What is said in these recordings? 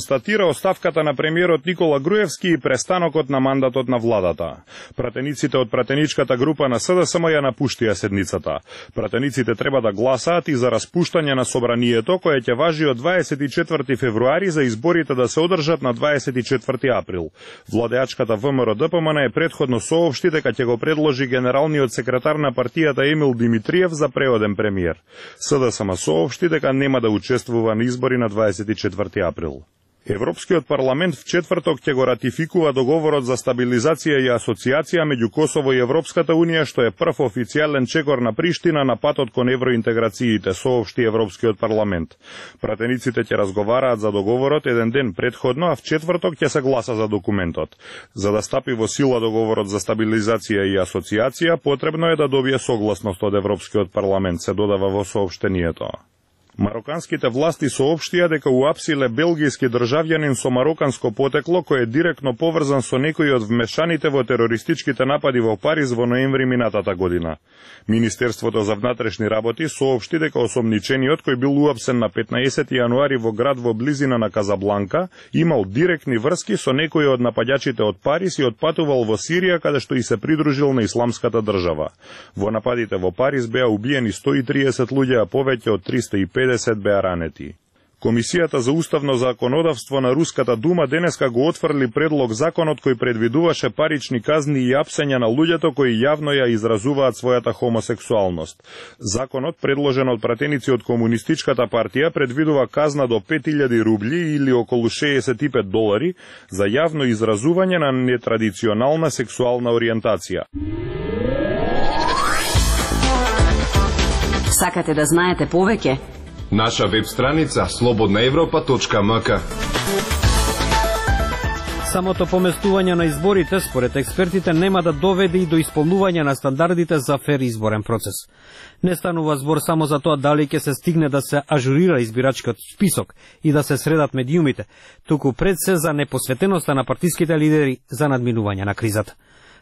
констатира оставката на премиерот Никола Груевски и престанокот на мандатот на владата. Пратениците од пратеничката група на СДСМ ја напуштија седницата. Пратениците треба да гласаат и за распуштање на собранието, кое ќе важи од 24 февруари за изборите да се одржат на 24 април. Владеачката ВМРО-ДПМН е предходно соопшти дека ќе го предложи генералниот секретар на партијата Емил Димитриев за преоден премиер. СДСМ соопшти дека нема да учествува на избори на 24 април. Европскиот парламент в четврток ќе го ратификува договорот за стабилизација и асоциација меѓу Косово и Европската унија, што е прв официјален чекор на Приштина на патот кон евроинтеграциите, соопшти Европскиот парламент. Пратениците ќе разговараат за договорот еден ден предходно, а в четврток ќе се гласа за документот. За да стапи во сила договорот за стабилизација и асоциација, потребно е да добие согласност од Европскиот парламент, се додава во соопштението. Мароканските власти соопштија дека уапсиле белгијски државјанин со мароканско потекло кој е директно поврзан со некои од вмешаните во терористичките напади во Париз во ноември минатата година. Министерството за внатрешни работи соопшти дека осомничениот кој бил уапсен на 15 јануари во град во близина на Казабланка имал директни врски со некои од нападачите од Париз и отпатувал во Сирија, каде што и се придружил на исламската држава. Во нападите во Париз беа убиени 130 луѓе, а повеќе од 350 беа ранети. Комисијата за уставно законодавство на Руската дума денеска го отфрли предлог законот кој предвидуваше парични казни и апсења на луѓето кои јавно ја изразуваат својата хомосексуалност. Законот, предложен од пратеници од Комунистичката партија, предвидува казна до 5000 рубли или околу $65 за јавно изразување на нетрадиционална сексуална ориентација. Сакате да знаете повеќе? Наша веб страница slobodnaevropa.mk. Самото поместување на изборите, според експертите, нема да доведе и до исполнување на стандардите за фер изборен процес. Не станува збор само за тоа дали ќе се стигне да се ажурира избирачкиот список и да се средат медиумите, туку пред се за непосветеноста на партиските лидери за надминување на кризата.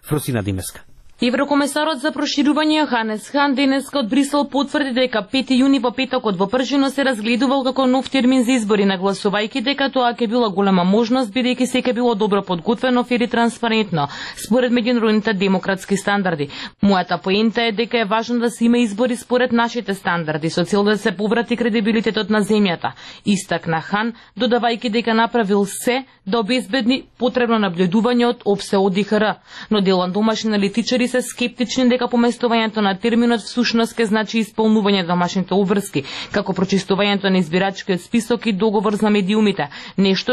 Фросина Димеска. Еврокомесарот за проширување Јоханес Хан денеска од Брисел потврди дека 5 јуни во петокот во Пржино се разгледувал како нов термин за избори, нагласувајќи дека тоа ќе била голема можност бидејќи се ќе било добро подготвено, фер и транспарентно, според меѓународните демократски стандарди. Мојата поента е дека е важно да се има избори според нашите стандарди, со цел да се поврати кредибилитетот на земјата, истакна Хан, додавајќи дека направил се да обезбедни потребно наблюдување од ОПСЕ ОДИХР, но дел домашни аналитичари се скептични дека поместувањето на терминот всушност ќе значи исполнување на домашните обврски, како прочистувањето на избирачкиот список и договор за медиумите, нешто